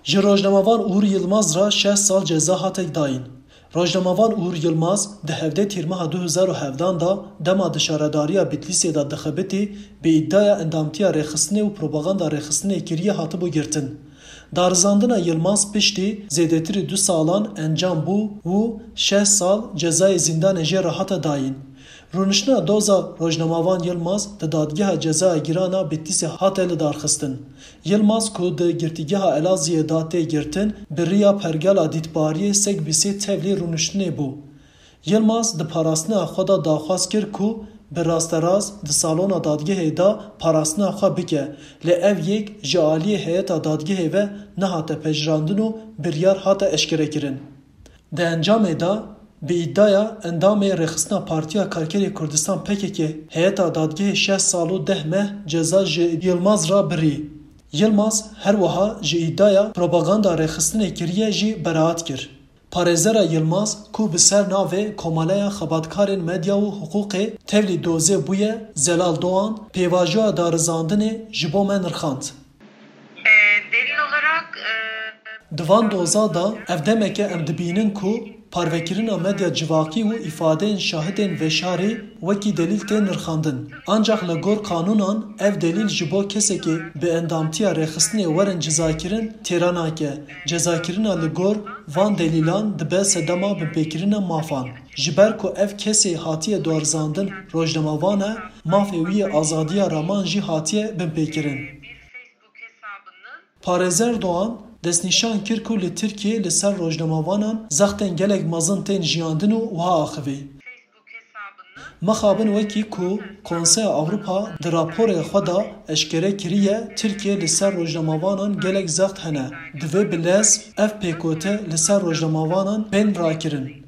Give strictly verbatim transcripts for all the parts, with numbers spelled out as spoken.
Ji rojnamevan Uğur Yilmaz re şeş sal ceza hate dayîn. Rojnamevan Uğur Yilmaz di hevdeh Tîrmeha du hezar û hevdan de dema di şaredariya Bitlîsê de dixebitî, bi îdiaya endamtiya rêxistinê û propaganda rêxistinê kiriye hatibû girtin. Darizandina Yilmaz piştî zêdetirî du salan encam bû û şeş sal cezayê zîndanê jê re hate dayîn. Rûniştina doza rojnamevan Yilmaz di Dadgeha Cezaya Giran a Bitlîsê hate lidarxistin. Yilmaz ku di Girtîgeha Elazığê de tê girtin, bi riya pergala dîtbariyê Segbîsê tevlî rûniştinê bû. Yilmaz di parastina xwe de daxwaz kir ku bi rasterast di salona dadgehê de parastina xwe bike, lê ev yek ji aliyê heyeta dadgehê ve nehate pejirandin û biryar hate eşkerekirin. Di encamê de, bi îdiaya endamê Rêxistina Partiya Karkerê Kurdistan P K K heyeta dadgehê şeş sal û deh meh ceza ji Yilmaz re birî. Yilmaz her wiha ji îdiaya propaganda rêxistinê kiriye jî beraat kir. Parêzera Yilmaz ku bi ser navê Komeleya Xebatkarên Medya û Hiqûqê tevlî dozê bûye, Zelal Doğan, pêvajoya darizandinê ji bo me nirxand. Delil olarak, e, Di van doza de ev demeke em dibînin ku parvekirina medya civakî û îfadeyên şahidên veşarî wekî delîl tên nirxandin. Ancax li gor qanûnan ev delîl ji bo kesekê bi endamtiya rêxistinê werin cezakirin têra nake. Cezakirina li gor van delîlan dibe sedema binpêkirina mafan. Ji ber ku ev kesê hatiye darizandin rojnamevan e, mafê wî yê azadiya raman jî hatiye binpêkirin. Parêzer Doğan destnîşan kir ku li Tirkiyê li ser rojnamevanan zextên gelek mezin tên jiyandin û wiha axivî: Mixabin wekî ku Konseya Ewropa di raporê xwe de eşkere kiriye, Tirkiyê li ser rojnamevanan gelek zext hene. Divê bi lez ev pêkote li ser rojnamevanan bên rakirin.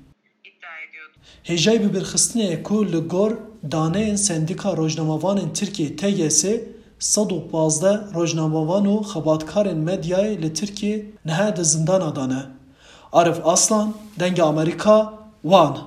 Hêjayî bibîrxistinê ye ku li gor daneyên Sendîka Rojnamevanên Tirkiyê, T G S, sed û pazdeh rojnamevan û xebatkarên medyayê li Tirkiyê niha di zindana de ne. Arif Aslan, Dengê Amerîka, Wan.